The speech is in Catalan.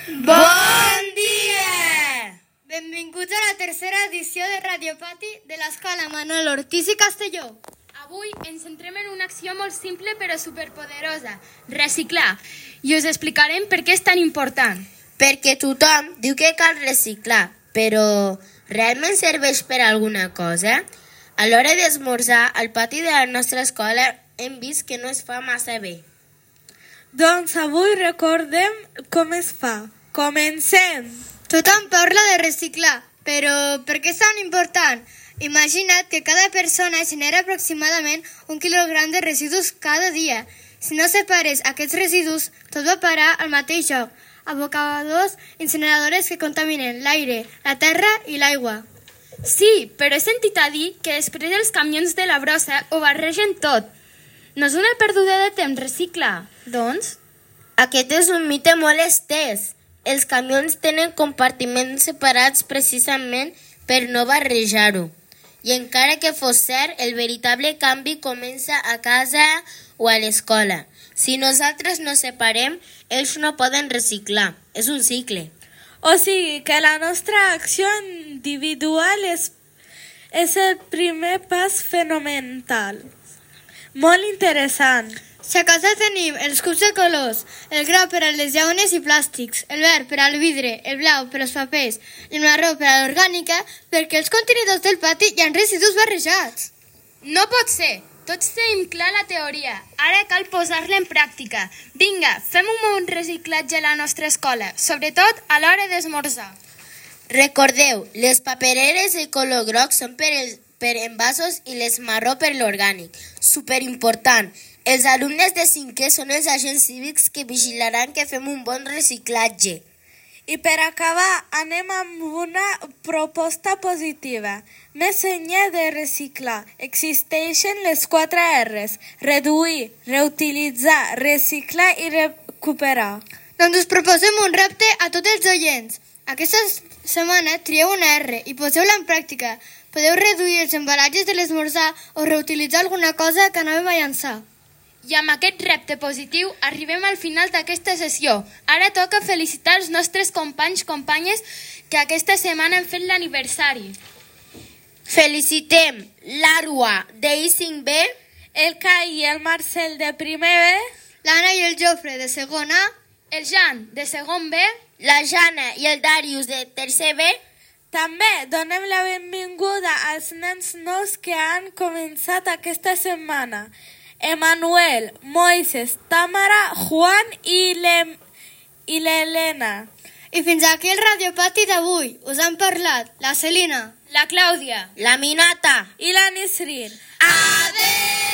Bon dia! Benvinguts a la tercera edició de Radiopati de l'Escola Manuel Ortiz i Castelló. Avui ens centrem en una acció molt simple però superpoderosa, reciclar, i us explicarem per què és tan important. Perquè tothom diu que cal reciclar, però realment serveix per alguna cosa? A l'hora d'esmorzar, al pati de la nostra escola hem vist que no es fa massa bé. Doncs avui recordem com es fa. Comencem! Tothom parla de reciclar, però per què és tan important? Imagina't que cada persona genera aproximadament 1 quilogram de residus cada dia. Si no separes aquests residus, tot va parar al mateix lloc, abocadors incineradores que contaminen l'aire, la terra i l'aigua. Sí, però he sentit a dir que després els camions de la brossa ho barregen tot. No és una perduda de temps reciclar, doncs? Aquest és un mite molt estès. Els camions tenen compartiments separats precisament per no barrejar-ho. I encara que fos cert, el veritable canvi comença a casa o a l'escola. Si nosaltres no separem, ells no poden reciclar. És un cicle. O sigui que la nostra acció individual és el primer pas fonamental. Molt interessant. Si a casa tenim els cubs de colors, el grau per a les llaunes i plàstics, el verd per al vidre, el blau per als papers i el marró per a l'orgànica, perquè els contenidors del pati hi ha residus barrejats. No pot ser! Tots tenim clar la teoria. Ara cal posar-la en pràctica. Vinga, fem un bon reciclatge a la nostra escola, sobretot a l'hora d'esmorzar. Recordeu, les papereres de color groc són per envasos i les marró per l'orgànic. Superimportant. Els alumnes de 5è són els agents cívics que vigilaran que fem un bon reciclatge. I per acabar, anem amb una proposta positiva. Més enllà de reciclar, existeixen les 4 R's. Reduir, reutilitzar, reciclar i recuperar. Doncs us proposem un repte a tots els oients. Aquesta setmana trieu una R i poseu-la en pràctica. Podeu reduir els embalatges de l'esmorzar o reutilitzar alguna cosa que anàvem a llançar. I amb aquest repte positiu arribem al final d'aquesta sessió. Ara toca felicitar els nostres companyes que aquesta setmana han fet l'aniversari. Felicitem l'Arua de I5B, El Cai i el Marcel de primer B, L'Anna i el Jofre de segon A, El Jan de segon B, la Jana i el Darius de tercer B. També donem la benvinguda als nens nous que han començat aquesta setmana. Emanuel, Moises, Tamara, Juan i l'Helena. I fins aquí el Radiopati d'avui. Us han parlat la Celina, la Clàudia, La Minata I la Nisrin. Adéu!